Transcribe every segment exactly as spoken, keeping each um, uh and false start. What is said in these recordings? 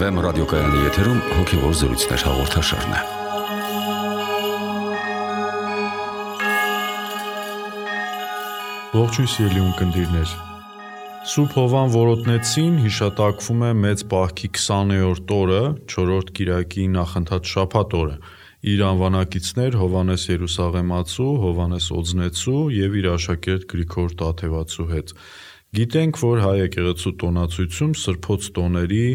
Էֆ Էմ ռադիոկայանի եթերում հոգևոր զրույցներ հաղորդաշարն է։ Ողջույն սիրելի ունկնդիրներ։ Սուրբ Հովան Որոտնեցին հիշատակվում է Մեծ Պահքի քսաներորդ օրը, չորրորդ կիրակի նախընթաց շաբաթ օրը։ Իր անվանակիցներ Հովանես Երուսաղեմացու, Հովանես Օձնեցու և իր աշակերտ Գրիգոր Տաթևացու հետ։ Գիտենք, որ հայ եկեղեցու տոնացույցում սրբոց տոների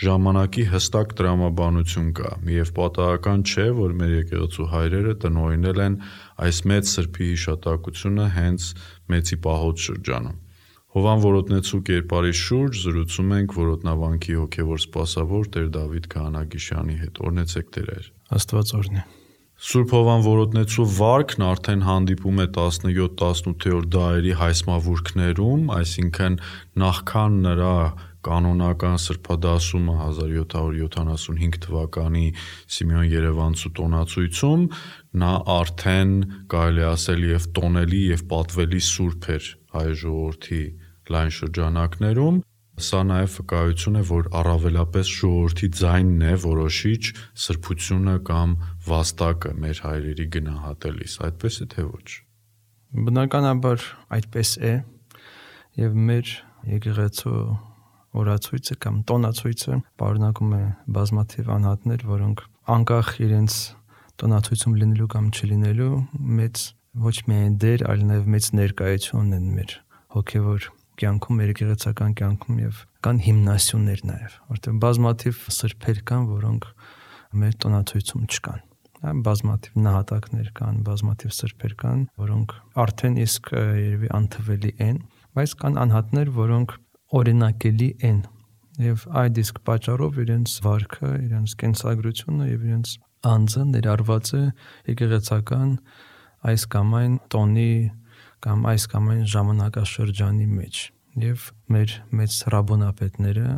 ժամանակի հստակ տրամաբանություն կա, և պատահական չէ, որ մեր եկեղեցու հայրերը տնօրինել են այս մեծ սրբի հիշատակությունը հենց Մեծի պահոց շրջանում։ Հովան Որոտնեցու կերպարի շուրջ զրուցում ենք Որոտնավանքի հոգևոր սպասավոր Տեր Դավիթ Քահանագիշյանի հետ։ Օրհնեցեք Տեր։ Աստված օրհնի։ Սուրբ Հովան Որոտնեցու վարքն արդեն հանդիպում է տասնյոթ տասնութերորդ դարերի հայսմավուրքներում, այսինքն նախքան նրա կանոնական սրբադասումը հազար յոթ հարյուր յոթանասունհինգ թվականի Սիմեոն Երևանցու տոնացույցում, նա արդեն կարելի ասել և տոնելի և պատվելի սուրբ էր հայ ժողովրդի լայն շրջանակներում։ Սա նաև վկայություն է, որ առավելապես ժողովրդի ձայնն է որոշիչ սրբությունը կամ վաստակը մեր հայրերի գնահատելիս, այդպես է թե ոչ։ Բնականաբար այդպես է, և մեր եկեղեցու օրացույցը կամ տոնացույցը պարունակում է բազմաթիվ անհատներ, որոնք անկախ իրենց տոնացույցում լինելու կամ չլինելու մեծ ոչ միայն դեր, այլ նաև մեծ ներկայություն ունեն մեր հոգևոր կյանքում, մեր եկեղեցական կյանքում և կան հիմնասյուներ նաև, որտեղ բազմաթիվ սրբեր կան, որոնք մեր տոնացույցում չկան։ Բազմաթիվ նահատակներ կան, բազմաթիվ սրբեր կան, որոնք արդեն իսկ երևի անթվելի են, բայց կան անհատներ, որոնք օրինակելի են, և այդ իսկ պատճառով իրենց վարքը, իրենց կենսագրությունը և իրենց անձը ներառված է եկեղեցական այս կամ այն տոնի կամ այս կամ այն ժամանակաշրջանի մեջ, և մեր մեծ ռաբոնապետները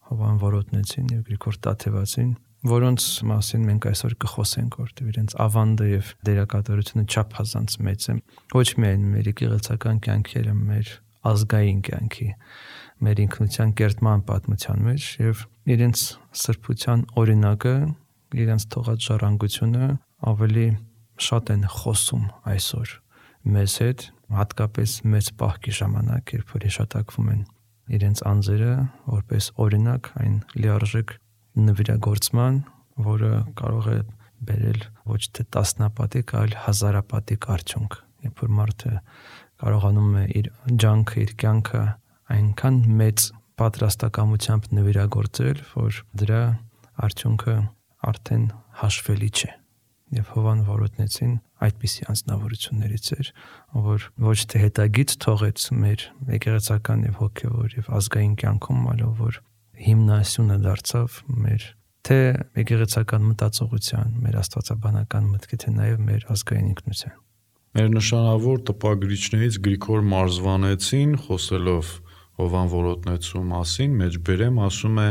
Հովան Որոտնեցին և Գրիգոր Տաթևացին, որոնց մասին մենք այսօր կխոսենք, որտեղ իրենց ավանդը և դերակատարությունը չափազանց մեծ է, ոչ միայն մեր եկեղեցական կյանքի, այլ մեր ազգային կյանքի, մեր ինքնության կերտման պատմության մեջ, և իրենց սրբության օրինակը, իրենց թողած ժառանգությունը ավելի շատ են խոսում այսօր մեզ հետ, հատկապես Մեծ Պահքի ժամանակ, երբ որ հիշատակվում են իրենց անձերը որպես օրինակ այն լիարժեք նվիրագործման, որը կարող է բերել ոչ թե տասնապատիկ, այլ հազարապատիկ արդյունք, երբ որ մարդը կարողանում է իր ջանքը, իր կյանքը այնքան մեծ պատրաստակամությամբ նվիրագործել, որ դրա արդյունքը արդեն հաշվելի չէ։ Եվ Հովան Որոտնեցին այդպիսի անձնավորություններից էր, որ ոչ թե հետագից թողեց մեր եկեղեցական և հոգևոր և ազգային կյանքում, այլ որ հիմնասյունը դարձավ մեր թե եկեղեցական մտածողության, մեր աստվածաբանական մտքի, թե նաև մեր ազգային ինքնության։ Մեր նշանավոր տպագրիչներից Գրիգոր Մարզվանեցին, խոսելով Հովան Որոտնեցու մասին, մեջբերեմ ասում է.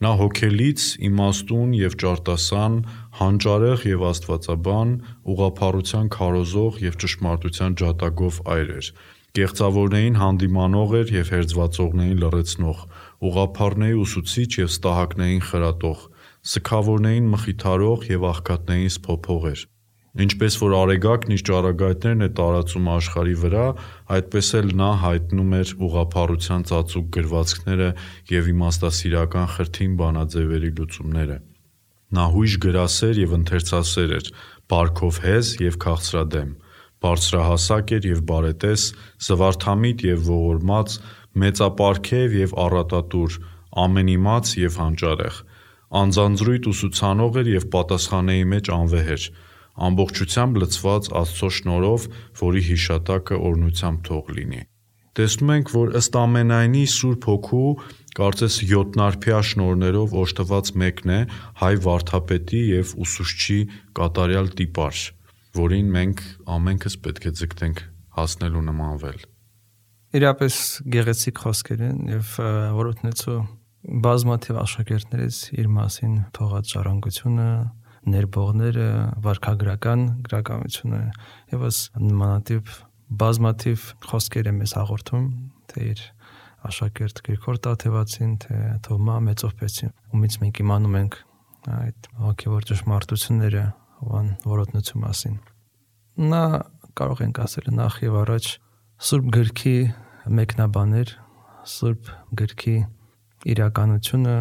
նա հոգելից, իմաստուն և ճարտասան, հանճարեղ և աստվածաբան, ուղղափառության քարոզող և ճշմարտության ջատագով այր էր։ Կեղծավորներին հանդիմանող էր և հերձվածողներին լռեցնող, ուղղափառների ուսուցիչ և ստահակներին խրատող, սգավորներին մխիթարող և աղքատներին սփոփող էր։ Ինչպես որ արեգակն իր ճառագայթներն է տարածում աշխարհի վրա, այդպես էլ նա հայտնում էր ուղղափառության ծածուկ գրվածքները և իմաստասիրական խրթին բանաձևերի լուծումները։ Նա հույժ գրասեր և ընթերցասեր էր, բարքով հեզ և քաղցրադեմ, բարձրահասակ էր և բարետես, զվարթամիտ և ողորմած, մեծապարգև և առատատուր, ամենիմաց և հանճարեղ, անձանձրույթ ուսուցանող էր և պատասխանների մեջ անվեհեր, ամբողջությամբ լցված Աստծո շնորհով, որի հիշատակը օրհնությամբ թող լինի։ Տեսնում ենք, որ ըստ ամենայնի Սուրբ Հոգու կարծես յոթնարբյա շնորհներով օժտված մեկն է հայ վարդապետի և ուսուցչի կատարյալ տիպար, որին մենք ամենքս պետք է ձգտենք հասնել ու նմանվել։ Իրապես գեղեցիկ խոսքեր են, և Որոտնեցու բազմաթիվ աշակերտներից իր մասին թողած ժառանգությունը, ներբողները, վարքագրական գրականությունը ևս նմանատիպ բազմաթիվ խոսքեր է մեզ հաղորդում, թե իր Աշակերտ Գրիգոր Տաթևացին, թե Թովմա Մեծովպեցին, ումից մենք իմանում ենք այդ հոգևոր ճշմարտությունները Հովան որոտնություն մասին։ Նա կարող ենք ասել նախ եւ առաջ Սուրբ գրքի մեկնաբաներ, Սուրբ գրքի իրականությունը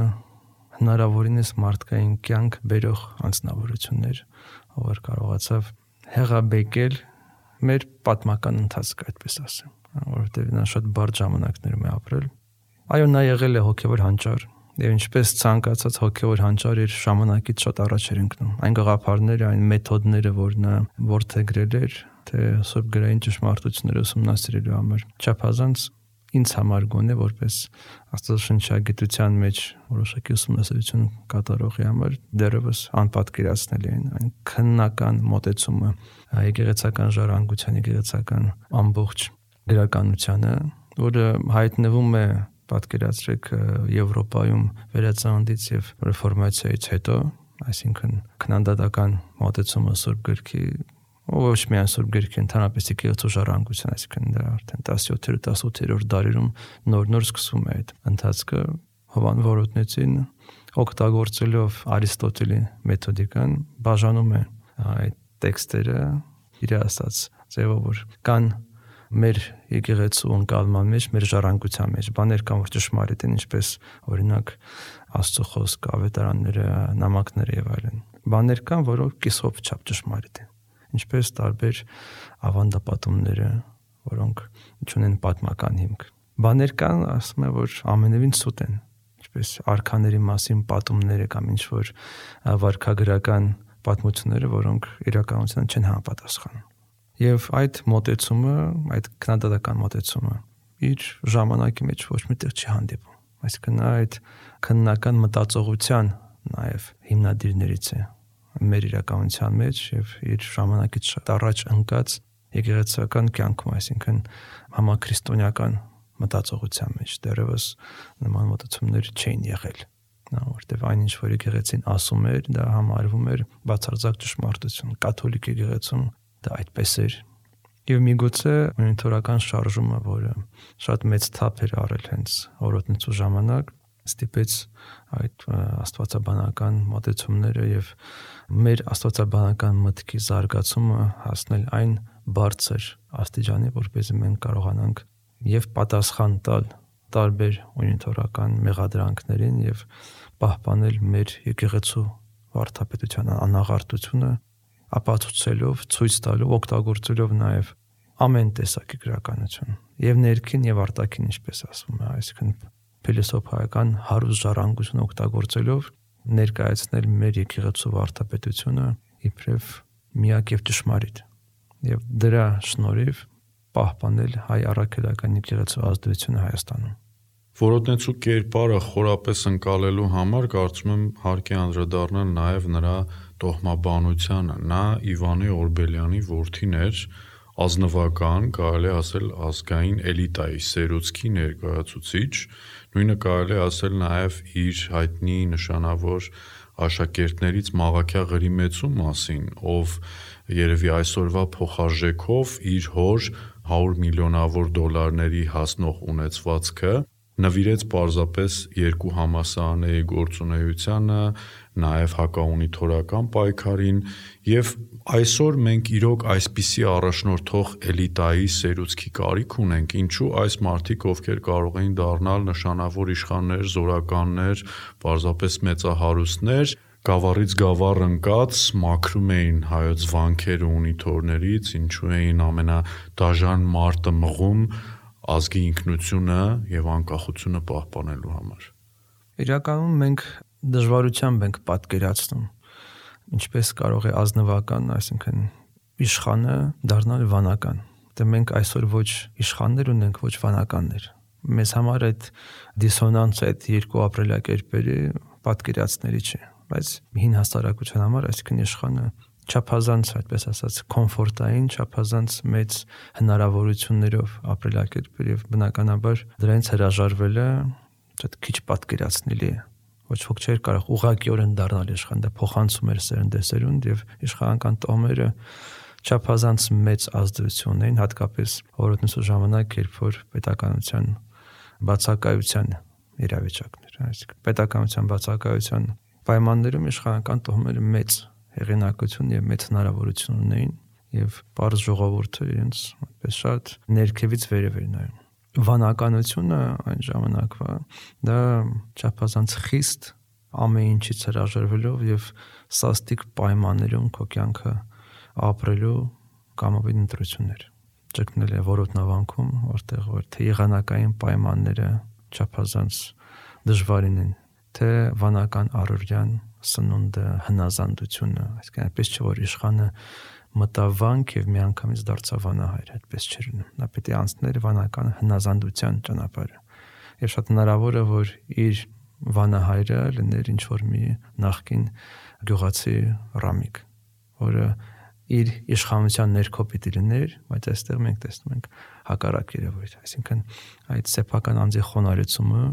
հնարավորինս մարդկային կյանք բերող անձնավորություններ, ով կարողացավ հեղաբեկել մեր պատմական ընթացքը, այդպես ասեմ, որովհետև նա շատ բարդ ժամանակներում է ապրել։ Այո, նա եղել է հոգևոր հանճար, եւ ինչպես ցանկացած հոգևոր հանճար իր ժամանակից շատ առաջ էր ընկնում։ Այն գաղափարները, այն մեթոդները, որ նա որդեգրել էր, թե սուրբ գրային ճշմարտությունները ուսումնասիրելու համար, չափազանց ինձ համար գոնե որպես աստվածաշնչագիտության մեջ որոշակի ուսումնասիրություն կատարողի համար դեռևս անպատկերացնելի են այն քննական մոտեցումը եկեղեցական ժառանգության, եկեղեցական ամբողջ գրականությանը, որը հայտնվում է, պատկերացրեք, Եվրոպայում վերածննդից եւ ռեֆորմացիայից հետո, այսինքն քննադատական մոտեցումը սուրբ գրքի, ոչ միայն սուրբ գրքի, ընդհանրապես եկեղեցու ժառանգության, այսինքն դա արդեն տասնյոթերորդ տասնութերորդ դարերում նոր-նոր սկսվում է այդ ընթացքը։ Հովան Որոտնեցին օգտագործելով Արիստոտելի մեթոդիկան բաժանում է այդ տեքստերը իր ասած ձևով, որ կան մեր եկեղեցու ընկալման մեջ, մեր ժառանգության մեջ բաներ կան, որ ճշմարիտ են, ինչպես օրինակ Աստծո խոսքը, ավետարանները, նամակները եւ այլն։ Բաներ կան, որոնք կիսով չափ ճշմարիտ են, ինչպես տարբեր ավանդապատումները, որոնք ունեն պատմական հիմք։ Բաներ կան, ասում եմ, որ ամենևին սուտ են, ինչպես արքաների մասին պատումները կամ ինչ որ վարքագրական պատմությունները, որոնք իրականության չեն համապատասխանում։ Եվ այդ մոտեցումը, այդ քննադատական մոտեցումը իր ժամանակի մեջ ոչ միտեղ չի հանդիպում։ Այսինքն այդ քննական մտածողության նաև հիմնադիրներից է մեր իրականության մեջ եւ իր ժամանակից շատ առաջ ընկած եկեղեցական կյանքում, այսինքն համաքրիստոնեական մտածողության մեջ դեռևս նման մոտեցումներ չէին եղել, որտեղ այնինչ որ եկեղեցին ասում էր, դա համարվում էր բացարձակ ճշմարտություն։ Կաթոլիկ եկեղեցում դա այդպես էր։ Եվ միգուցե մոնիտորական շարժումը, որը շատ մեծ թափ էր առել հենց օրոտնեցու ժամանակ, ստիպեց այդ աստվածաբանական մոտեցումները եւ մեր աստվածաբանական մտքի զարգացումը հասնել այն բարձր աստիճանի, որպեսզի մենք կարողանանք եւ պատասխան տալ տարբեր մոնիտորական մեղադրանքներին եւ պահպանել մեր եկեղեցու վարդապետության անաղարտությունը, ապացուցելով, ցույց տալով, օգտագործելով նաև ամեն տեսակի գրականություն եւ ներքին եւ արտաքին, ինչպես ասվում է, այսինքն փիլիսոփայական հարուստ ժառանգություն օգտագործելով ներկայացնել մեր եկեղեցու վարդապետությունը իբրև միակ եւ ճշմարիտ եւ դրա շնորհիվ պահպանել հայ առաքելական եկեղեցու ազդեցությունը Հայաստանում։ Որոտնեցու կերպարը խորապես ընկալելու համար կարծում եմ հարկ է անդրադառնալ նաև նրա տոհմաբանությանը։ Նա Իվանի Օրբելյանի որդին էր, ազնվական, կարելի ասել ազգային էլիտայի, սերուցքի ներկայացուցիչ, նույնը կարելի ասել նաև իր հայտնի նշանավոր աշակերտներից Մաղաքյա Ղրիմեցու մասին, ով երևի այսօրվա փոխարժեքով իր հոր հարյուր միլիոնավոր դոլարների հասնող ունեցվածքը նվիրեց պարզապես երկու համալսարանների գործունեությանը, նաև հակաունիթորական պայքարին եւ այսօր մենք իրոք այսպիսի առաջնորդող էլիտայի սերուցքի կարիք ունենք, ինչու այս մարդիկ, ովքեր կարող էին դառնալ նշանավոր իշխաններ, զորականներ, պարզապես մեծահարուստներ, գավառից գավառ ընկած մաքրում էին հայոց վանքերը ունիթորներից, ինչու էին ամենադաժան մարտը մղում ազգի ինքնությունը եւ անկախությունը պահպանելու համար։ Իրականում մենք դժվարությամբ ենք պատկերացնում, ինչպես կարող է ազնվական, այսինքն իշխանը դառնալ վանական։ Դե մենք այսօր ոչ իշխաններ ունենք, ոչ վանականներ։ Մեզ համար այդ դիսոնանսը, այդ երկու ապրելակերպերի պատկերացնելի չէ, բայց հին հասարակության համար, այսինքն իշխանը չափազանց, այդպես ասած, կոմֆորտային, չափազանց մեծ հնարավորություններով ապրելակերպեր եւ բնականաբար դրանից հրաժարվելը շատ քիչ պատկերացնելի է։ Ոչ ոք չէր կարող ուղղակիորեն դառնալ իշխան, դա փոխանցում էր սերնդեսերունդ եւ իշխանական տոմերը չափազանց մեծ ազդեցություն ունեն, հատկապես օրոտնեցու ժամանակ, երբ որ պետականության բացակայության իրավիճակներ, այսինքն պետականության բացակայության պայմաններում իշխանական տոհմերը մեծ հեղինակություն եւ մեծ հնարավորություն ունեին եւ բարձ ժողովուրդը իրենց այդպես շատ ներքևից վերև էր նայում։ Վանականությունը այն ժամանակվա դա չափազանց խիստ ամեն ինչից հրաժարվելով եւ սաստիկ պայմաններում քո կյանքը ապրելու կամովին ընտրություններ ճգնել է որոտնավանքում, որտեղ որ թե եղանակային պայմանները չափազանց դժվարին են, թե վանական առօրյան սնունդը, հնազանդությունը, այսինքն այնպես չէ որ իշխանը մտավ վանք եւ միանգամից դարձավ վանահայր, այդպես չէր լինում։ Նա պետք է անցներ վանական հնազանդության ճանապարհը։ Եվ շատ հնարավոր է որ իր վանահայրը լիներ ինչ որ մի նախկին գյուղացի ռամիկ, որը իր իշխանության ներքո պիտի լիներ, բայց այստեղ մենք տեսնում ենք հակառակ երևույթ, այսինքն այդ սեփական անձի խոնարհեցումը,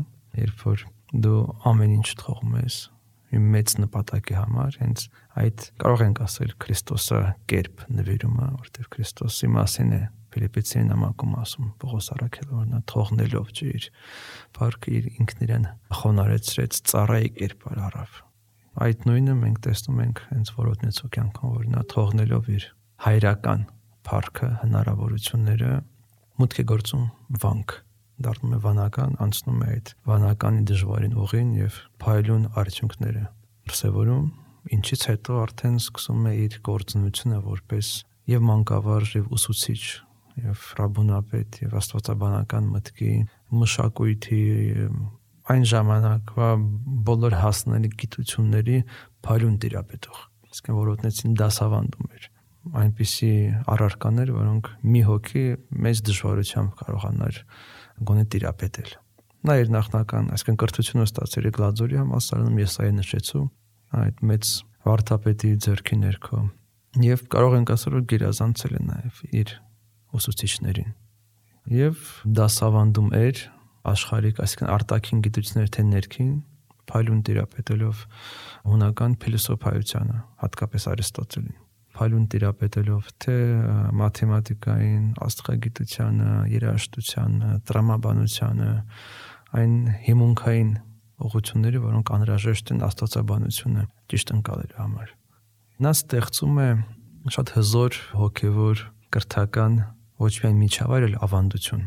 երբ որ դու ամեն ինչ թողում ես մի մեծ նպատակի համար, հենց այդ կարող ենք ասել Քրիստոսը կերպ նվիրումը, որտեղ Քրիստոսի մասին է Ֆիլիպպեցի նամակում ասում Պողոս առաքելը, որ նա թողնելով չէ իր փառքը իր ինքն իրեն խոնարհեցրեց, ծառայի կերպար առավ։ Այդ նույնը մենք տեսնում ենք հենց որոտնեցու կյանքում, որ նա թողնելով իր հայրական փառքը, հնարավորությունները մուտք է գործում վանք, դառնում է վանական, անցնում է այդ վանականի դժվարին ուղին եւ փայլուն արդյունքները դրսևորում, ինչից հետո արդեն սկսում է իր գործունեությունը որպես եւ մանկավարժ եւ ուսուցիչ եւ ռաբունապետ եւ աստվածաբանական մտքի մշակույթի այն ժամանակվա բոլոր հասանելի գիտությունների փայլուն տիրապետող, իսկ որոտնեցին դասավանդում էր այնպիսի առարկաներ, որոնք մի հոգի մեծ դժվարությամբ կարողանար գոնե տիրապետել։ Նա իր նախնական, այսինքն կրթությունը ստացել է Գլաձորի համալսարանում, Եսայի նշեցու այդ մեծ վարդապետի ձեռքի ներքո եւ կարող ենք ասել որ գերազանցել է նաեւ իր ուսուցիչներին եւ դասավանդում էր աշխարհիկ, այսինքն արտաքին գիտություններ թե ներքին, փայլուն տիրապետելով հունական փիլիսոփայությանը, հատկապես Արիստոտելին, փայլուն տիրապետելով թե մաթեմատիկային, աստղագիտությանը, երաժշտությանը, տրամաբանությանը, այն հիմունքային ուղղությունները, որոնք անհրաժեշտ են աստվածաբանությունը ճիշտ ընկալելու համար։ Նա ստեղծում է շատ հզոր հոգևոր կրթական ոչ միայն միջավայր, այլ ավանդություն։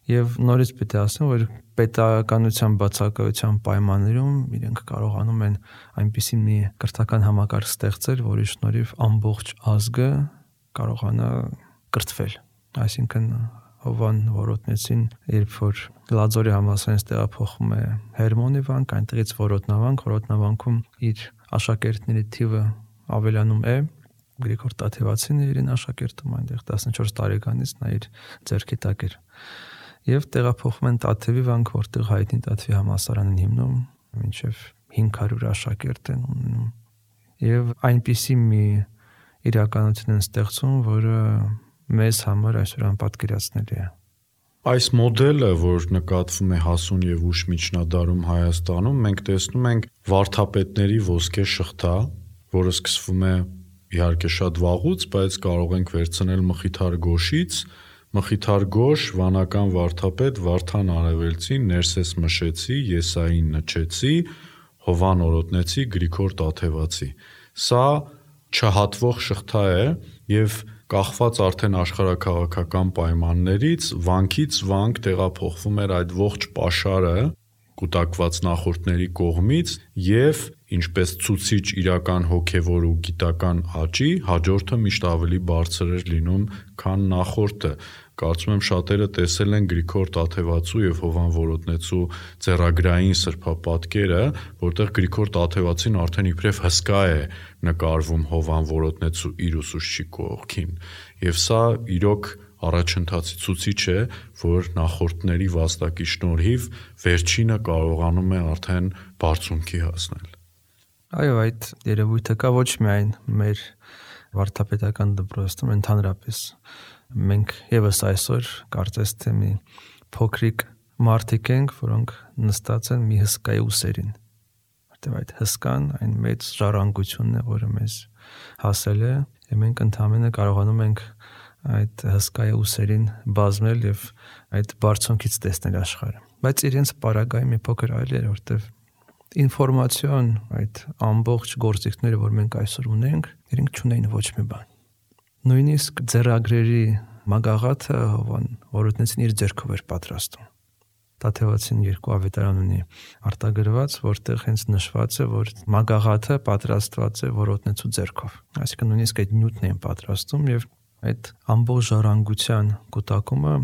Եվ նորից պետք է ասեմ, որ պետականության բացակայության պայմաններում իրենք կարողանում են այնպիսի մի կրթական համակարգ ստեղծել, որի շնորհիվ ամբողջ ազգը կարողանա կրթվել։ Այսինքն Հովան Որոտնեցին, երբ որ Գլաձորի համալսարանից տեղափոխվում է Հերմոնի վանք, այնտեղից Որոտնավանք, Որոտնավանքում իր աշակերտների թիվը ավելանում է, Գրիգոր Տաթևացին էր իրեն աշակերտում այնտեղ տասնչորս տարեկանից նա իր ձեռքի տակ էր։ Եվ տեղափոխվում են Տաթևի վանք, որտեղ հայտնի Տաթևի համալսարան են հիմնում, մինչև հինգ հարյուր աշակերտ են ունենում։ Եվ այնպիսի մի իրականություն են ստեղծում, որը մեզ համար այսօր անպատկերացնելի է։ Այս մոդելը, որ նկատվում է հասուն եւ ուշ միջնադարում Հայաստանում, մենք տեսնում ենք վարդապետների ոսկե շղթա, որը սկսվում է իհարկե շատ վաղուց, բայց կարող ենք վերցնել Մխիթար Գոշից, Մխիթար Գոշ, վանական վարդապետ Վարդան Արևելցի, Ներսես Մշեցի, Եսային Նչեցի, Հովան Օրոտնեցի, Գրիգոր Տաթևացի։ Սա չհատվող շղթա է եւ կախված արդեն աշխարհակաղակական պայմաններից վանքից վանք տեղափոխվում էր այդ ողջ պաշարը կուտակված նախորդների կողմից եւ ինչպես ցուցիչ իրական հոգեվոր ու գիտական աճի հաջորդը միշտ ավելի բարձր էր լինում, քան նախորդը։ Կարծում եմ շատերը տեսել են Գրիգոր Տաթևացու եւ Հովան Որոտնեցու ձեռագրային սրբապատկերը, որտեղ Գրիգոր Տաթևացին արդեն իբրև հսկա է նկարվում Հովան Որոտնեցու իր ուսուցչի կողքին։ Եվ սա իրոք առաջընթացի ցուցիչ է, որ նախորդների վաստակի շնորհիվ վերջինը կարողանում է արդեն բարձունքի հասնել։ Այո, այդ երևույթը կա ոչ միայն մեր վարդապետական դպրոցում, ընդհանրապես մենք եւս այսօր կարծես թե մի փոքրիկ մարդիկ ենք, որոնք նստած են մի հսկայի ուսերին, որտեղ այդ հսկան այն մեծ ժառանգությունն է, որը մեզ հասել է, եւ մենք ընդհանրապես կարողանում ենք այդ հսկայի ուսերին բազմել եւ այդ բարձունքից տեսնել աշխարհը։ բայց իրենց պարագայի մի փոքր այլ էր, որտեվ ինֆորմացիոն այդ ամբողջ գործիքները, որ մենք այսօր ունենք, իրենք չունեին ոչ մի բան։ Նույնիսկ ձեռագրերի մագաղաթը Հովան Որոտնեցին իր ձեռքով էր պատրաստում։ Տաթևացին երկու ավետարան ունի արտագրված, որտեղ հենց նշված է, որ մագաղաթը պատրաստված է Որոտնեցու ձեռքով։ Այսինքն նույնիսկ այդ նյութն էին պատրաստում եւ այդ ամբողջ ժառանգության կուտակումը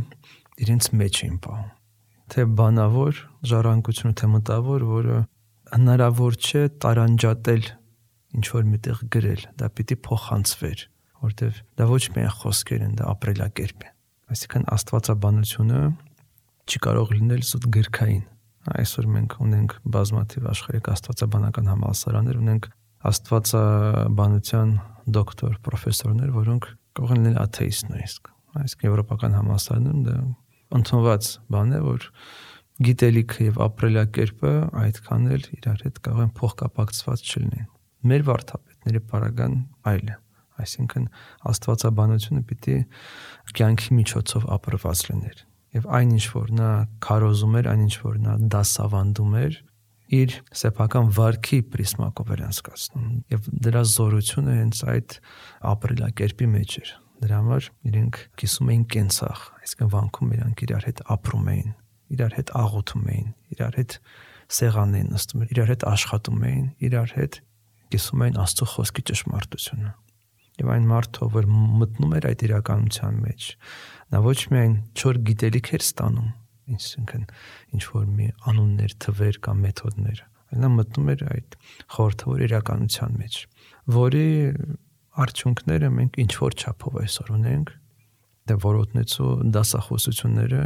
իրենց մեջ էին պահում։ Թե բանավոր ժառանգությունը, թե մտավոր, որը հնարավոր չէ տարանջատել ինչ որ միտեղ գրել, դա պիտի փոխանցվեր, որտեվ դա ոչ միայն խոսքեր են, դա ապրելակերպ է։ Այսինքն աստվածաբանությունը չի կարող լինել զուտ գրքային։ Այսօր մենք ունենք բազմաթիվ աշխարհիկ աստվածաբանական համալսարաններ, ունենք աստվածաբանության դոկտոր, պրոֆեսորներ, որոնք կարող են լինել աթեիստ նույնիսկ։ Այսինքն եվրոպական համալսարաններում դա ընդունված բան է, որ գիտելիքը եւ ապրելակերպը այդքան էլ իրար հետ կարող են փոխկապակցված չլինեն։ Մեր վարդապետների պարագան այլ է։ Այսինքն աստվածաբանությունը պիտի կյանքի միջոցով ապրված լիներ։ Եվ այն ինչ որ նա քարոզում էր, այն ինչ որ նա դասավանդում էր, իր սեփական վարքի պրիսմակով էր անցկացնում։ Եվ դրա զորությունը հենց այդ ապրելակերպի մեջ էր։ Դրա համար իրենք կիսում էին կենցաղ, այսինքն վանքում իրանք իրար հետ ապրում էին, իրար հետ աղոթում էին, իրար հետ սեղան էին նստում, իրար հետ աշխատում էին, իրար հետ կիսում էին Աստծո խոսքի ճշմարտությունը։ Եվ այն մարդը, որ մտնում էր այդ իրականության մեջ, նա ոչ միայն չոր գիտելիք էր ստանում, այսինքն ինչ որ մի անուններ, թվեր կամ մեթոդներ, այլ նա մտնում էր այդ խորհրդավոր իրականության մեջ, որի արդյունքները մենք ինչ որ չափով այսօր ունենք, դե Որոտնեցու դասախոսությունները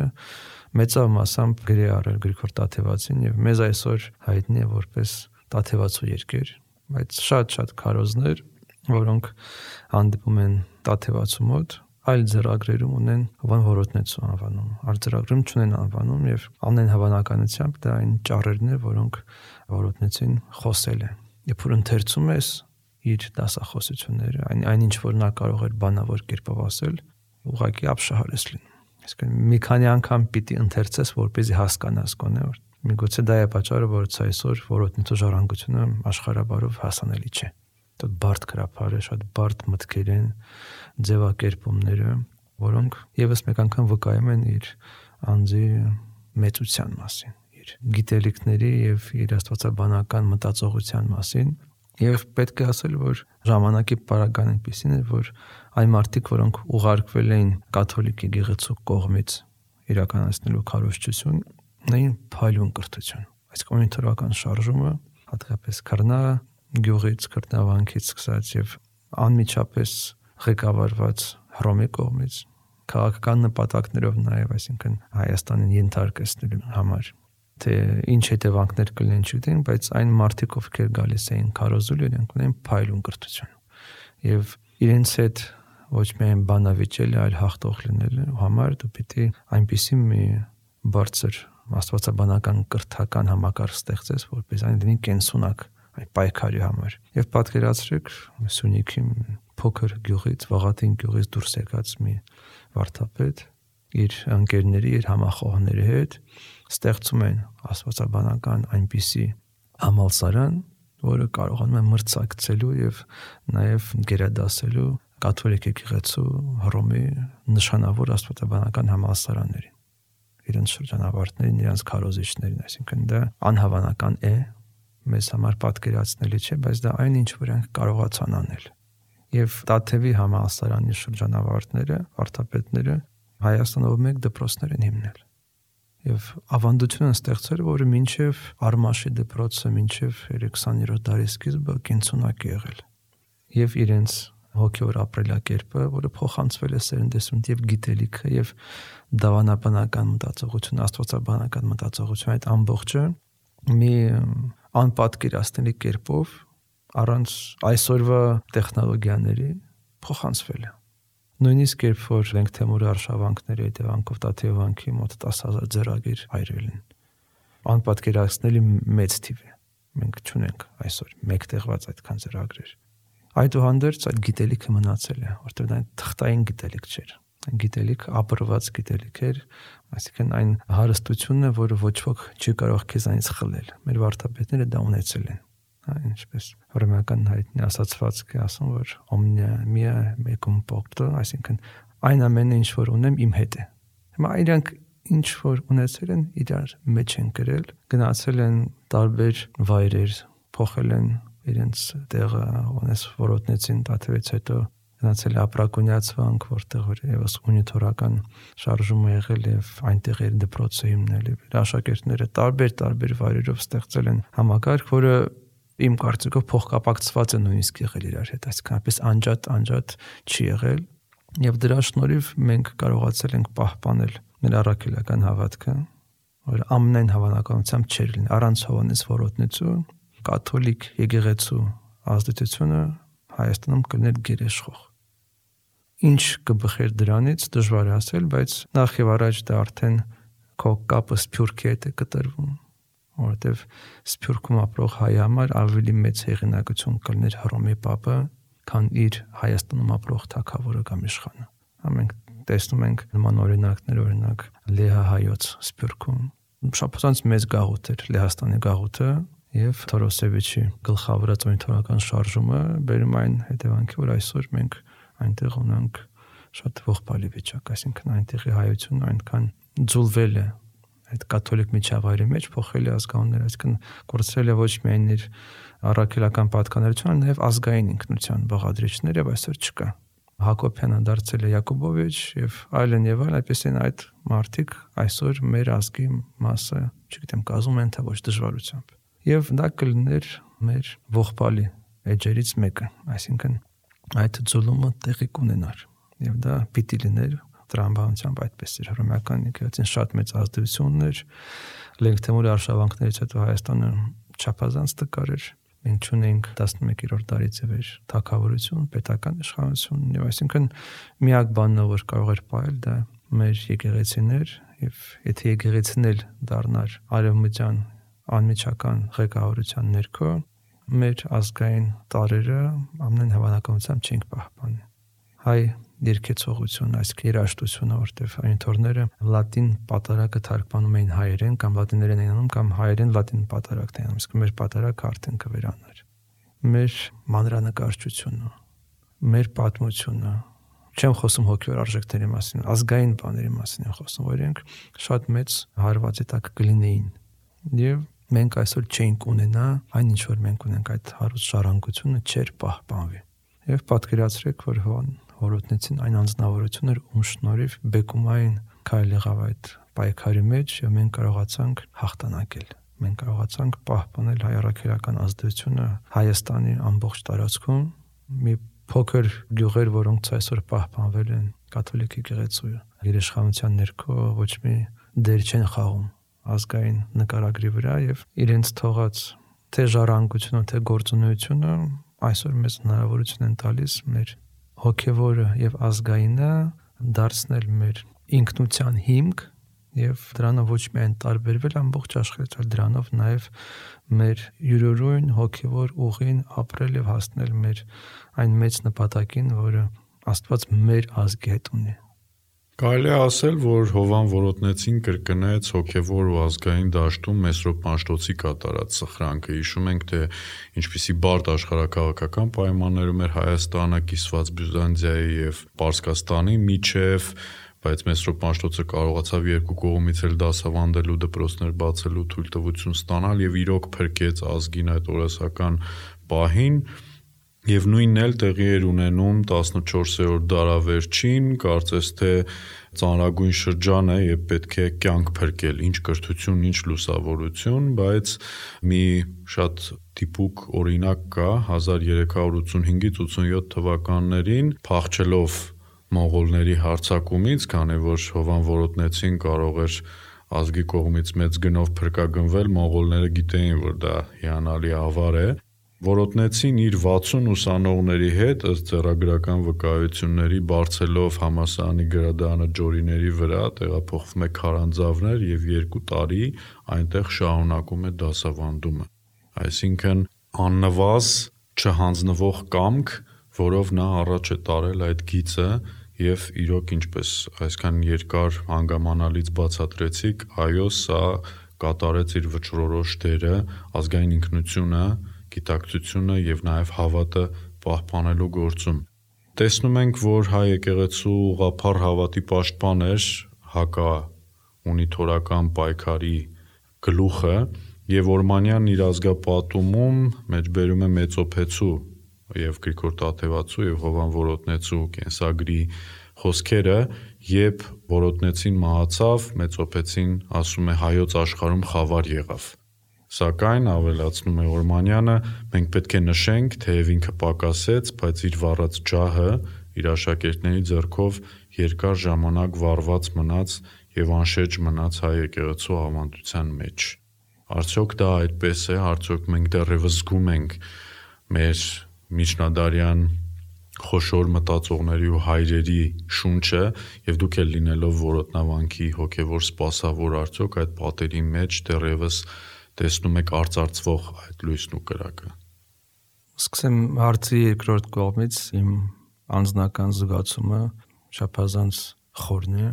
մեծավ մասամբ գրի առել Գրիգոր Տաթևացին եւ մեզ այսօր հայտնի է որպես Տաթևացու երկեր, բայց շատ-շատ քարոզներ, որոնք հանդիպում են Տաթևացու մոտ, այլ ձեռագրերում ունեն Հովան Որոտնեցու անվանում, արձրագրում չունեն անվանում եւ ամեն հավանականությամբ դա այն ճառերն է, որոնք Որոտնեցին խոսել է։ Երբ որ ընթերցում ես իր դասախոսությունները, այն այնինչ որ նա կարող էր բանավոր կերպով ասել, ուղղակի ապշահար ես լինում։ Այսինքն մի քանի անգամ պիտի ընթերցես, որպեսզի հասկանաս գոնե որ միգուցե դա է պատճառը, որ այսօր Որոտնեցու ժառանգությունը աշխարհաբարով հասանելի չէ։ Դա բարդ գրափար է, շատ բարդ մտքեր են, ձևակերպումները, որոնք եւս մեկ անգամ վկայում են իր անձի մեծության մասին, իր գիտելիքների եւ իր աստվածաբանական մտածողության մասին։ Եվ պետք է ասել, որ ժամանակի պարագան այնպեսին է, որ այն մարդիկ, որոնք ուղարկվել էին կաթոլիկ եկեղեցու կողմից իրականացնելու քարոզչություն, ունեին փայլուն կրթություն։ Այս կոմունիտարական շարժումը, հատկապես Քրնա գյուղից, Քրտնավանքից սկսած եւ անմիջապես ղեկավարված Հռոմի կողմից, քաղաքական նպատակներով նաեւ, այսինքն Հայաստանին ենթարկեցնելու համար, թե ինչ հետևանքներ կլինեն չգիտեն, բայց այն մարդիկ, ովքեր գալիս էին քարոզելու, իրենք ունեն փայլուն կրթություն։ Եվ իրենց հետ ոչ միայն բանավիճել, այլ հաղթող լինելու համար դու պիտի այնպիսի մի բարձր աստվածաբանական կրթական համակարգ ստեղծես, որպես այն լինի կենսունակ այդ պայքարի համար։ Եվ պատկերացրեք Սյունիքի փոքր գյուղից, Վաղատին գյուղից դուրս եկած մի վարդապետ իր ընկերների, իր համախոհների հետ ստեղծում են աստվածաբանական այնպիսի համալսարան, որը կարողանում է մրցակցելու եւ նաեւ գերադասելու կաթոլիկ եկեղեցու Հռոմի նշանավոր աստվածաբանական համալսարաններին, իրենց շրջանավարտներին, իրենց քարոզիչներին, այսինքն դա անհավանական է, մեզ համար պատկերացնելի չէ, բայց դա այն ինչ որ ենք կարողացան անել։ Եվ Տաթևի համալսարանի շրջանավարտները, վարդապետները Հայաստանով մեկ դպրոցներ են հիմնել։ Եվ ավանդություն են ստեղծել, որը մինչև Արմաշի դպրոցը, մինչև քսաներորդ դարի սկիզբը կենսունակ է եղել։ Եվ իրենց հոգևոր ապրելակերպը, որը փոխանցվել է սերնդեսունդ եւ գիտելիքը եւ դավանաբանական մտածողություն, աստվածաբանական մտածողություն, այդ ամբողջը մի անպատկերացնելի կերպով առանց այսօրվա տեխնոլոգիաների փոխանցվել է։ Նույնիսկ երբ որ Լենգ Թեմուրի արշավանքների հետևանքով Տաթևանքի մոտ տասը հազար ձեռագիր հայրվել են, անպատկերացնելի մեծ թիվ է։ Մենք չունենք այսօր մեկ տեղված այդքան ձեռագրեր։ Այդուհանդերձ այդ գիտելիքը մնացել է, որտեղ դա թղթային գիտելիք չէր։ գիտելիք, ապրված գիտելիք էր, այսինքն այն հարստությունն է, որը ոչ ոք չի կարող քեզանից խլել։ Մեր վարդապետները դա ունեցել են։ Հա, ինչպես հռոմեական հայտնի ասացվածք է ասում, որ omnia mea mecum porto, այսինքն այն ամենը ինչ որ ունեմ իմ հետ է։ Հիմա իրանք ինչ որ ունեցել են, իրար մեջ են գրել, գնացել են տարբեր վայրեր, փոխել են իրենց տեղը, ունես որոտնեցին տաթևից հետո գնացել է ապրակունյացվանք, որտեղ որ եւս ունիտորական շարժում է եղել եւ այնտեղ էր դպրոցը հիմնել եւ աշակերտները տարբեր տարբեր վայրերով ստեղծել են համակարգ, որը իմ կարծիքով փոխկապակցված է նույնիսկ եղել իրար հետ, այսինքն այնպես անջատ անջատ չի եղել եւ դրա շնորհիվ մենք կարողացել ենք պահպանել մեր առաքելական հավատքը, որ ամենայն հավանականությամբ չէր լինի առանց Հովանես Որոտնեցու կաթոլիկ եկեղեցու ազդեցությունը Հայաստանում կլիներ գերեշխող։ Ինչ կբխեր դրանից դժվար է ասել, բայց նախ եւ առաջ դա արդեն քո կապը Սփյուռքի հետ է կտրվում, որովհետեւ Սփյուռքում ապրող հայ համար ավելի մեծ հեղինակություն կլիներ Հռոմի Պապը, քան իր Հայաստանում ապրող թագավորը կամ իշխանը։ Մենք տեսնում ենք նման օրինակներ, օրինակ Լեհա հայոց Սփյուռքում շփոթանց մեծ գաղութ էր Լեհաստանի գաղութը եւ Թորոսևիչի գլխավորած օրենթորական շարժումը բերում այն հետևանքի, որ այսօր մենք այնտեղ ունենք շատ ողբալի վիճակ, այսինքն այնտեղի հայությունը այնքան ձուլվել է այդ կաթոլիկ միջավայրի մեջ, փոխել է ազգանունները, այսինքն կորցրել է ոչ միայն իր առաքելական պատկանելիությունը, նաեւ ազգային ինքնության բաղադրիչներ եւ այսօր չկա։ Հակոբյանը դարձել է Յակոբովիչ եւ այլն եւ այլն, այդպեսին այդ մարդիկ այսօր մեր ազգի մասը, չգիտեմ, կազմում են թե ոչ դժվարությամբ։ Եվ դա կլիներ մեր ողբալի էջերից մեկը, այսինքն այդ ձուլումը տեղի կունենար եւ դա պիտի լիներ տրամաբանությամբ այդպես էր հռոմեական եկեղեցին շատ մեծ ազդեցություն ուներ Լենգթեմուրի արշավանքներից հետո Հայաստանը չափազանց տկար էր մենք ունենք տասնմեկերորդ դարից ի վեր թագավորություն, պետական իշխանություն եւ այսինքն միակ բանն որ կարող էր պահել դա մեր եկեղեցիներ եւ եթե եկեղեցին էլ դառնար արևմտյան անմիջական ղեկավարության ներքո մեր ազգային տարերը ամեն հավանականությամբ չենք պահպանի։ Հայ երկեցողություն, այսինքն երաժշտությունը, որտեղ այնթորները լատին պատարակը թարգմանում էին հայերեն կամ լատիներեն էին անում կամ հայերեն լատին պատարակն էին անում, իսկ մեր պատարակը արդեն կվերանար։ Մեր մանրանկարչությունը, մեր պատմությունը, չեմ խոսում հոգևոր արժեքների մասին, ազգային բաների մասին եմ խոսում, որ իրենք շատ մեծ հարվածի տակ կլինեին։ Եվ մենք այսօր չենք ունենա այն ինչ որ մենք ունենք այդ հարուստ ժառանգությունը չէր պահպանվի։ Եվ պատկերացրեք, որ Որոտնեցին այն անձնավորություններ, ում շնորհիվ բեկումային քայլ եղավ այդ պայքարի մեջ եւ մենք կարողացանք հաղթանակել։ Մենք կարողացանք պահպանել հայ առաքելական ազդեցությունը Հայաստանի ամբողջ տարածքում։ Մի փոքր գյուղեր, որոնց այսօր պահպանվել են կաթոլիկ եկեղեցու երեշխանության ներքո ոչ մի դեր չեն խաղում ազգային նկարագրի վրա եւ իրենց թողած թե ժառանգությունը, թե գործունեությունը այսօր մեզ հնարավորություն են տալիս մեր հոգևորը եւ ազգայինը դարձնել մեր ինքնության հիմք եւ դրանով ոչ միայն տարբերվել ամբողջ աշխարհից, այլ դրանով նաեւ մեր յուրօրյուն հոգևոր ուղին ապրել եւ հասնել մեր այն մեծ նպատակին, որը Աստված մեր ազգի հետ ունի։ Կարելի է ասել, որ Հովան Որոտնեցին կրկնեց հոգևոր ու ազգային դաշտում Մեսրոպ Պանշտոցի կատարած սխրանքը։ Հիշում ենք, թե ինչպիսի բարդ աշխարհակաղակական պայմաններում էր Հայաստանը կիսված Բյուզանդիայի եւ Պարսկաստանի միջև, բայց Մեսրոպ Պանշտոցը կարողացավ երկու կողմից էլ դասավանդելու, դպրոցներ բացելու թույլտվություն ստանալ եւ իրոք փրկեց ազգին այդ օրասական պահին։ Եվ նույնն էլ տեղի էր ունենում տասնչորսերորդ դարավերջին, կարծես թե ծանրագույն շրջան է եւ պետք է կյանք փրկել, ինչ կրթություն, ինչ լուսավորություն, բայց մի շատ տիպուկ օրինակ կա հազար երեք հարյուր ութսունհինգից ութսունյոթ թվականներին փախչելով մոնղոլների հարձակումից, քանի որ Հովան Որոտնեցին կարող էր ազգի կողմից մեծ գնով փրկագնվել, մոնղոլները գիտեին, որ դա հիանալի ավար է։ Որոտնեցին իր վաթսուն ուսանողների հետ ըստ ձեռագրական վկայությունների բարձելով համալսարանի գրադարանը Ջորիների վրա տեղափոխվում է Քարանձավներ եւ երկու տարի այնտեղ շարունակում է դասավանդումը։ Այսինքն աննվազ չհանձնվող կամք, որով նա առաջ է տարել այդ գիծը եւ իրոք ինչպես այսքան երկար հանգամանալից բացատրեցիք, այո, սա կատարեց իր վճռորոշ դերը ազգային ինքնությունը, գիտակցությունը եւ նաեւ հավատը պահպանելու գործում։ Տեսնում ենք, որ հայ եկեղեցու ուղղափառ հավատի պաշտպան էր հակա ունիտորական պայքարի գլուխը եւ Օրմանյանն իր ազգապատումում մեջբերում է Մեծոփեցու եւ Գրիգոր Տաթևացու եւ Հովան Որոտնեցու կենսագրի խոսքերը, երբ Որոտնեցին մահացավ, Մեծոփեցին ասում է հայոց աշխարհում խավար եղավ։ Սակայն ավելացնում է Օրմանյանը, մենք պետք է նշենք, թեև ինքը պակասեց, բայց իր վառած ջահը իր աշակերտների ձեռքով երկար ժամանակ վառված մնաց եւ անշեջ մնաց հայ եկեղեցու ավանդության մեջ։ Արդյոք դա այդպես է, արդյոք մենք դեռևս զգում ենք մեր միջնադարյան խոշոր մտածողների ու հայրերի շունչը եւ դուք էլ լինելով Որոտնավանքի հոգեվոր սպասավոր արդյոք այդ պատերի մեջ դեռևս տեսնում եք արծարծվող այդ լույսն ու կրակը։ Սկսեմ հարցի երկրորդ կողմից, իմ անձնական զգացումը շաբազանց խորն է,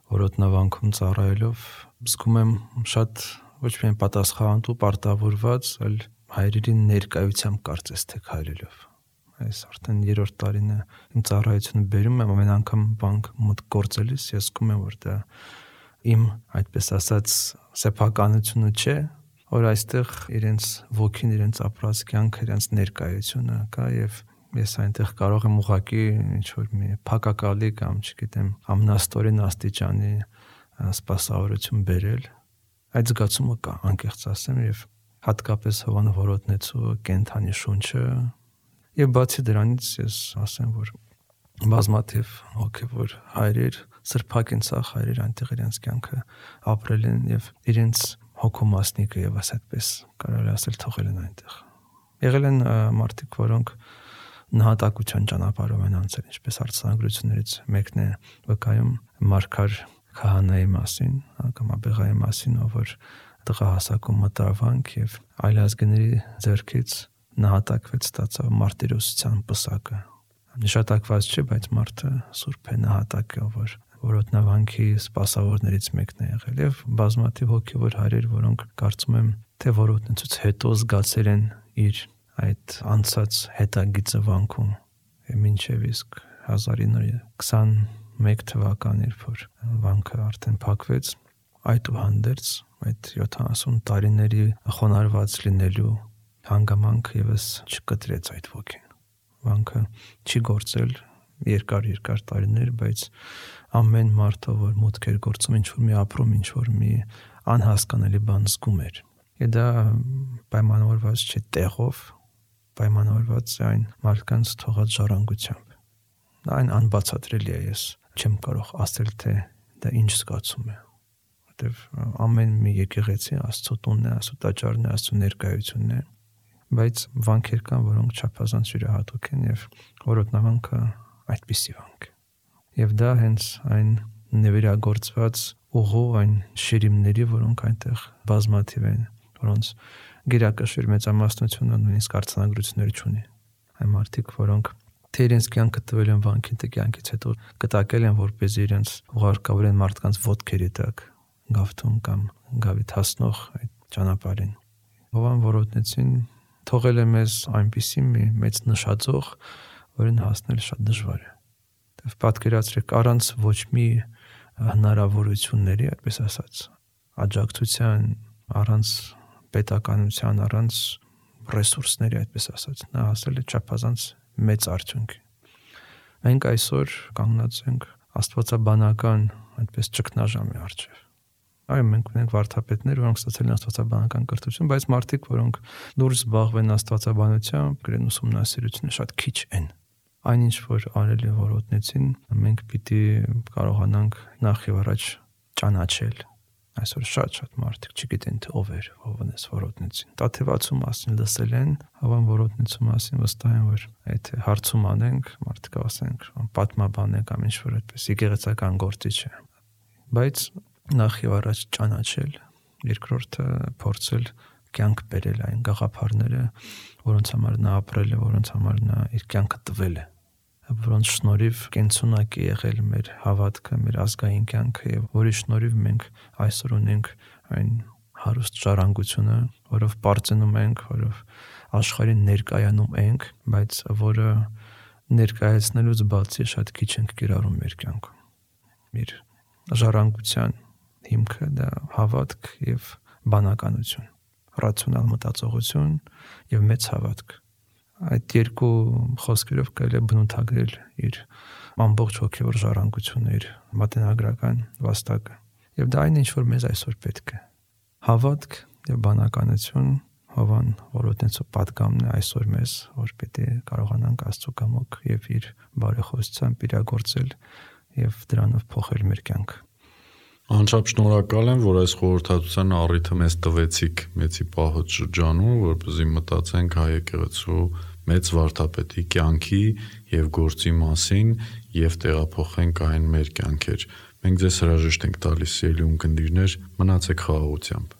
Որոտնավանքում ծառայելով զգում եմ շատ ոչ միայն պատասխանատու պարտավորված, այլ հայրերի ներկայությամբ կարծես թե քայլելով։ Այս արդեն երրորդ տարին է իմ ծառայությունը բերում եմ, ամեն անգամ բանկ մոտ գործելիս ես զգում եմ, որ դա իմ, այդպես ասած, սեփականությունը չէ, որ այստեղ իրենց ոգին, իրենց ապրած կյանքը, իրենց ներկայությունը կա եւ ես այնտեղ կարող եմ ուղղակի ինչ որ մի փակակալի կամ չգիտեմ ամնաստորեն աստիճանի սպասավորություն բերել։ Այդ զգացումը կա, անկեղծ ասեմ, եւ հատկապես Հովան Որոտնեցու կենթանի շունչը եւ բացի դրանից ես ասեմ, որ բազմաթիվ հոգեվոր հայրեր, սրբակենցաղ հայրեր այնտեղ իրենց կյանքը ապրել են եւ իրենց հոգոմասնիկը եւս այդպես կարելի ասել թողել են այնտեղ։ Եղել են մարդիկ, որոնք նահատակության ճանապարհով են անցել, ինչպես արձանագրություններից մեկն է վկայում Մարգար քահանայի մասին, կամ Աբեղայի մասին, ով որ տղահասակում մտավ վանք եւ այլազգների ձեռքից նահատակվեց, ստացավ մարտիրոսության պսակը։ Նշատակված չէ, բայց մարդը սուրբ է, նահատակ է, ով որ Որոտնավանքի սպասավորներից մեկն է եղել եւ բազմաթիվ հոգեվոր հայրեր, որոնք կարծում եմ, թե Որոտնեցուց հետո զգացել են իր այդ անցած հետագիծը վանքում եւ մինչեւ իսկ հազար ինը հարյուր քսաներկու թվականն երբ որ վանքը արդեն փակվեց, այդուհանդերձ այդ յոթանասուն տարիների խոնարհված լինելու հանգամանք եւս չկտրեց այդ ոգին։ Վանքը չի գործել երկար-երկար տարիներ, բայց ամեն մարդը, որ մուտք էր գործում, ինչ որ մի ապրում, ինչ որ մի անհասկանալի բան զգում էր։ Եվ դա պայմանավորված չէ տեղով, պայմանավորված է այն մարդկանց թողած ժառանգությամբ։ Այն անբացատրելի է, ես չեմ կարող ասել, թե դա ինչ զգացում է, որտեվ ամեն մի եկեղեցի Աստծո տունն է, Աստծո տաճարն է, Աստծո ներկայությունն է, բայց վանքեր կան, որոնք չափազանց յուրահատուկ են եւ Որոտնավանքը այդպիսի վանք է։ Եվ դա հենց այն նվիրագործված ուղու այն շիրիմների, որոնք այնտեղ բազմաթիվ են, որոնց գերակշիռ մեծամասնությունը նույնիսկ արձանագրություններ չունի։ Այն մարդիկ, որոնք թե իրենց կյանքը տվել են վանքին, թե կյանքից հետո կտակել են, որպեսզի իրենց ուղարկավորեն մարդկանց ոտքերի տակ գավթում կամ գավիթ հասնող այդ ճանապարհին։ Հովան Որոտնեցին թողել է մեզ այնպիսի մի մեծ նշաձող, որին հասնել շատ դժվար է։ Եվ պատկերացրեք, առանց ոչ մի հնարավորությունների, այդպես ասած, աջակցության, առանց պետականության, առանց ռեսուրսների, այդպես ասած, նա հասել է չափազանց մեծ արդյունքի։ Մենք այսօր կանգնած ենք աստվածաբանական այդպես ճգնաժամի առջև։ Այո, մենք ունենք վարդապետներ, որոնք ստացել են աստվածաբանական կրթություն, բայց մարդիկ, որոնք դուրս զբաղվեն աստվածաբանությամբ, գրեն ուսումնասիրությունը շատ քիչ են։ Այնինչ որ արել է Որոտնեցին, մենք պիտի կարողանանք նախ եւ առաջ ճանաչել։ Այսօր շատ-շատ մարդիկ չգիտեն թե ով էր Հովանես Որոտնեցին։ Տաթևացու մասին լսել են, Հովան Որոտնեցու մասին վստահ են, որ այդ հարցում անենք, մարդիկ ասենք, պատմաբան է կամ ինչ-որ այդպես եկեղեցական գործիչ է։ Բայց նախ եւ առաջ ճանաչել, երկրորդը փորձել կյանք բերել այն գաղափարները, որոնց համար նա ապրել է, որոնց համար նա իր կյանքը տվել է։ որոնց շնորհիվ կենցունակ է եղել մեր հավատքը, մեր ազգային կյանքը եւ որի շնորհիվ մենք այսօր ունենք այն հարուստ ժառանգությունը, որով պարծենում ենք, որով աշխարհին ներկայանում ենք, բայց որը ներկայացնելուց բացի շատ քիչ ենք կիրառում մեր կյանքում։ Մեր ժառանգության հիմքը դա հավատք եւ բանականություն, ռացիոնալ մտածողություն եւ մեծ հավատք։ Այդ երկու խոսքերով կարելի է բնութագրել իր ամբողջ հոգևոր ժառանգությունը, իր մատենագրական վաստակը։ Եվ դա այն ինչ որ մեզ այսօր պետք է։ Հավատք եւ բանականություն Հովան Որոտնեցու պատգամն է այսօր մեզ, որ պետք է կարողանանք Աստծո կամոք եւ իր բարեխոսությամբ իրագործել եւ դրանով փոխել մեր կյանքը։ Անչափ շնորհակալ եմ, որ այս խորհրդատության առիթը մեզ տվեցիք մեծի պահոց շրջանում, որպեսզի մտածենք հայ եկեղեցու մեծ վարդապետի կյանքի եւ գործի մասին եւ տեղափոխենք այն մեր կյանքեր։ Մենք ձեզ հրաժեշտ ենք տալիս, սիրելի ունկնդիրներ, մնացեք խաղաղությամբ։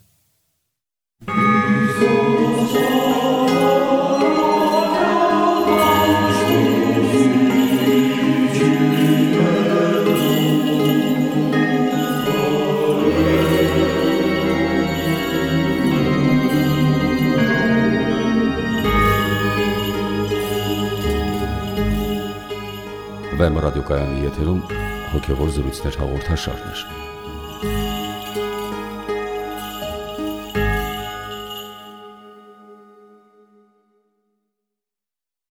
Վեմ ռադիոկայանի եթերում հոգևոր զրույցներ հաղորդաշարներ։